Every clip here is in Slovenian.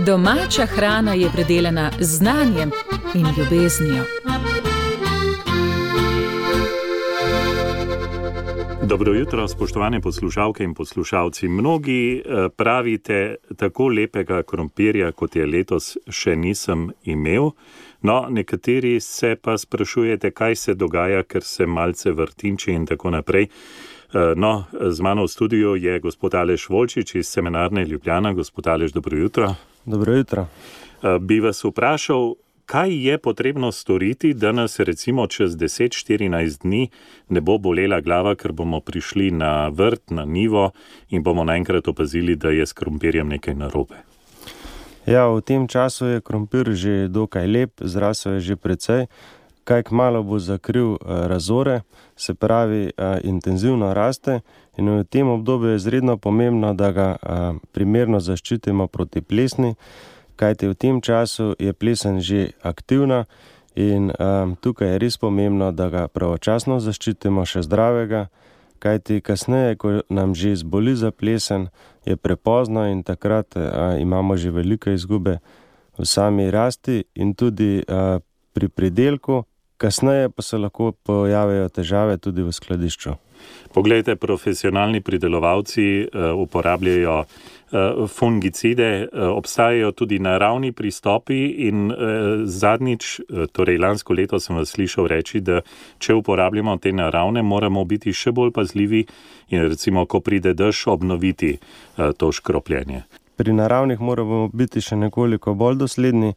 Domača hrana je predelana z znanjem in ljubeznijo. Dobro jutro, spoštovane poslušalke in poslušalci. Mnogi pravite, tako lepega krompirja, kot je letos, še nisem imel. No, nekateri se pa sprašujete, kaj se dogaja, ker se malce vrtinči in tako naprej. No, z mano v studiu je gospod Aleš Volčič iz Semenarne Ljubljana. Gospod Aleš, dobro jutro. Dobro jutro. Bi vas vprašal, kaj je potrebno storiti, da nas recimo čez 10-14 dni ne bo bolela glava, ker bomo prišli na vrt, na njivo in bomo naenkrat opazili, da je s krompirjem nekaj narobe? Ja, v tem času je krompir že dokaj lep, zrasel je že precej. Kaj kmalu bo zakril razore, se pravi intenzivno raste in v tem obdobju je izredno pomembno, da ga primerno zaščitimo proti plesni, kajti v tem času je plesen že aktivna in tukaj je res pomembno, da ga pravočasno zaščitimo še zdravega, kajti kasneje, ko nam že zboli za plesen, je prepozno in takrat imamo že velike izgube v sami rasti in tudi pri pridelku, kasneje pa se lahko pojavijo težave tudi v skladišču. Poglejte, profesionalni pridelovalci uporabljajo fungicide, obstajajo tudi naravni pristopi in zadnjič, torej lansko leto sem vas slišal reči, da če uporabljamo te naravne, moramo biti še bolj pazljivi in recimo, ko pride dež, obnoviti to škropljenje. Pri naravnih moramo biti še nekoliko bolj dosledni,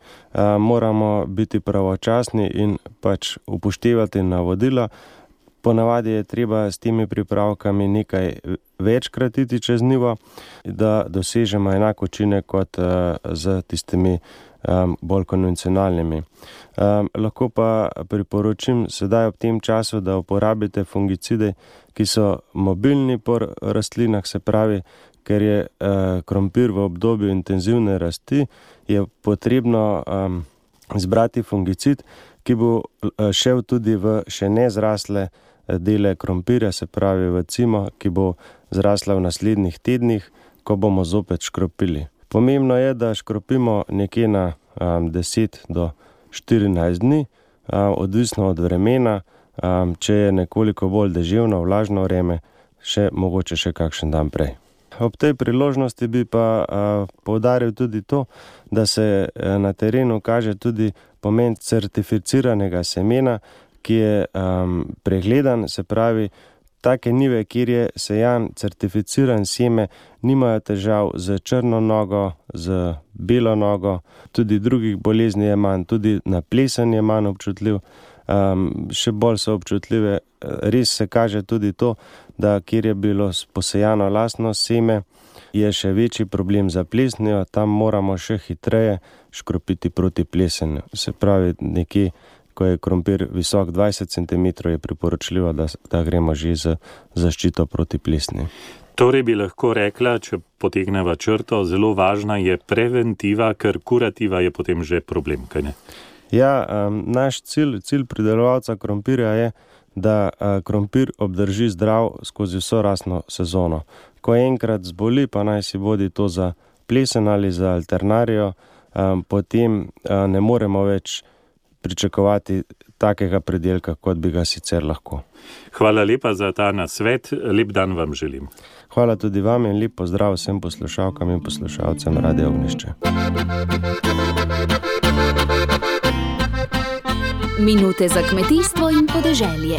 moramo biti pravočasni in pač upoštevati navodila. Ponavadi je treba s temi pripravkami nekaj večkrat iti čez njivo, da dosežemo enak učinek kot z tistimi bolj konvencionalnimi. Lahko pa priporočim sedaj ob tem času, da uporabite fungicide, ki so mobilni po rastlinah, se pravi, ker je krompir v obdobju intenzivne rasti, je potrebno izbrati fungicid, ki bo šel tudi v še nezrasle dele krompirja, se pravi v cimo, ki bo zrasla v naslednjih tednih, ko bomo zopet škropili. Pomembno je, da škropimo nekje na 10 do 14 dni, odvisno od vremena, če je nekoliko bolj deževno, vlažno vreme, mogoče še kakšen dan prej. Ob tej priložnosti bi pa poudaril tudi to, da se na terenu kaže tudi pomen certificiranega semena, ki je pregledan, se pravi, take njive, kjer je sejan certificiran seme, nimajo težav z črno nogo, z belo nogo, tudi drugih bolezni je manj, tudi na plesen je manj občutljiv, še bolj so občutljive. Res se kaže tudi to, da kjer je bilo posejano lastno seme, je še večji problem za plesnijo, tam moramo še hitreje škropiti proti plesenju. Se pravi, nekje, ko je krompir visok 20 cm, je priporočljivo, da gremo že z zaščito proti plesni. Torej bi lahko rekla, če potegneva črto, zelo važna je preventiva, ker kurativa je potem že problem, kaj ne? Ja, naš cilj pridelovalca krompirja je, da krompir obdrži zdrav skozi vso rastno sezono. Ko enkrat zboli, pa naj si bodi to za plesen ali za alternarijo, potem ne moremo več pričakovati takega pridelka, kot bi ga sicer lahko. Hvala lepa za ta nasvet, lep dan vam želim. Hvala tudi vam in lep pozdrav vsem poslušalkam in poslušalcem Radia Ognjišče. Minute za kmetijstvo in podeželje.